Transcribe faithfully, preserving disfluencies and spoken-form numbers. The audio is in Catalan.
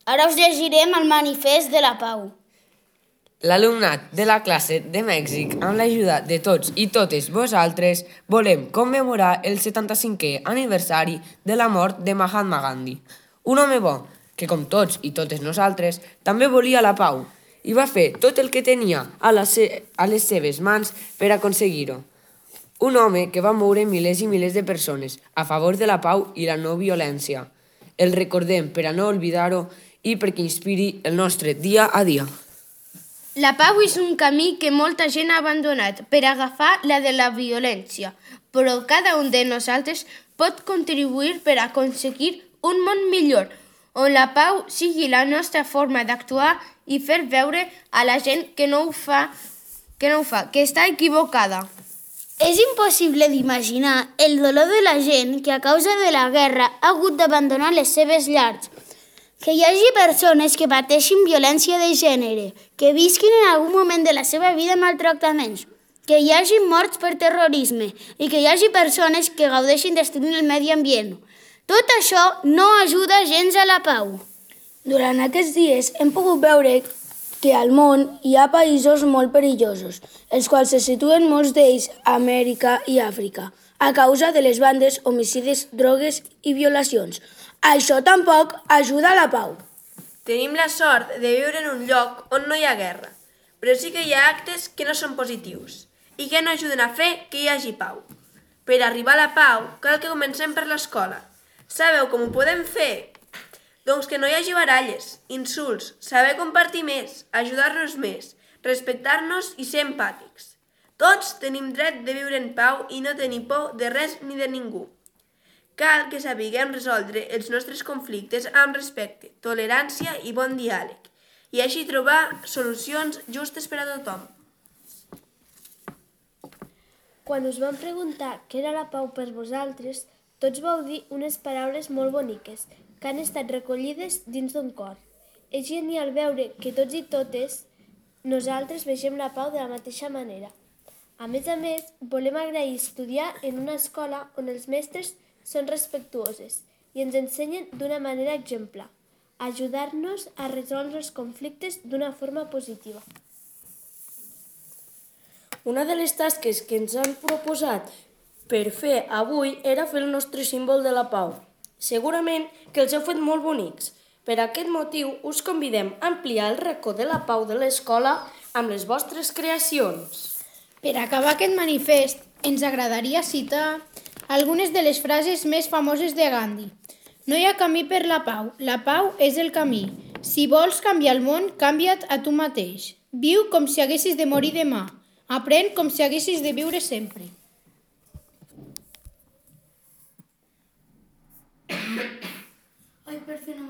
Ara us llegirem el manifest de la pau. L'alumnat de la classe de Mèxic, amb l'ajuda de tots i totes vosaltres, volem commemorar el setanta-cinquè aniversari de la mort de Mahatma Gandhi, un home bo que, com tots i totes nosaltres, també volia la pau i va fer tot el que tenia a, la se- a les seves mans per aconseguir-ho. Un home que va moure milers i milers de persones a favor de la pau i la no violència. El recordem per a no oblidar-ho i perquè inspiri el nostre dia a dia. La pau és un camí que molta gent ha abandonat per agafar la de la violència, però cada un de nosaltres pot contribuir per aconseguir un món millor, on la pau sigui la nostra forma d'actuar i fer veure a la gent que no ho fa, que no ho fa, que està equivocada. És impossible d'imaginar el dolor de la gent que a causa de la guerra ha hagut d'abandonar les seves llars. Que hi hagi persones que pateixin violència de gènere, que visquin en algun moment de la seva vida maltractaments, que hi hagi morts per terrorisme i que hi hagi persones que gaudeixin destruint el medi ambient. Tot això no ajuda gens a la pau. Durant aquests dies hem pogut veure que al món hi ha països molt perillosos, els quals se situen molts d'ells a Amèrica i Àfrica, a causa de les bandes, homicides, drogues i violacions. Això tampoc ajuda a la pau. Tenim la sort de viure en un lloc on no hi ha guerra, però sí que hi ha actes que no són positius i que no ajuden a fer que hi hagi pau. Per arribar a la pau cal que comencem per l'escola. Sabeu com ho podem fer? Doncs que no hi hagi baralles, insults, saber compartir més, ajudar-nos més, respectar-nos i ser empàtics. Tots tenim dret de viure en pau i no tenir por de res ni de ningú. Cal que sapiguem resoldre els nostres conflictes amb respecte, tolerància i bon diàleg, i així trobar solucions justes per a tothom. Quan us vam preguntar què era la pau per vosaltres, tots vau dir unes paraules molt boniques, que han estat recollides dins d'un cor. És genial veure que tots i totes nosaltres vegem la pau de la mateixa manera. A més a més, volem agrair estudiar en una escola on els mestres són respectuoses i ens ensenyen d'una manera exemplar, ajudar-nos a resoldre els conflictes d'una forma positiva. Una de les tasques que ens han proposat per fer avui era fer el nostre símbol de la pau. Segurament que els heu fet molt bonics. Per aquest motiu us convidem a ampliar el racó de la pau de l'escola amb les vostres creacions. Per acabar aquest manifest, ens agradaria citar algunes de les frases més famoses de Gandhi. No hi ha camí per la pau, la pau és el camí. Si vols canviar el món, canvia't a tu mateix. Viu com si haguessis de morir demà. Aprèn com si haguessis de viure sempre.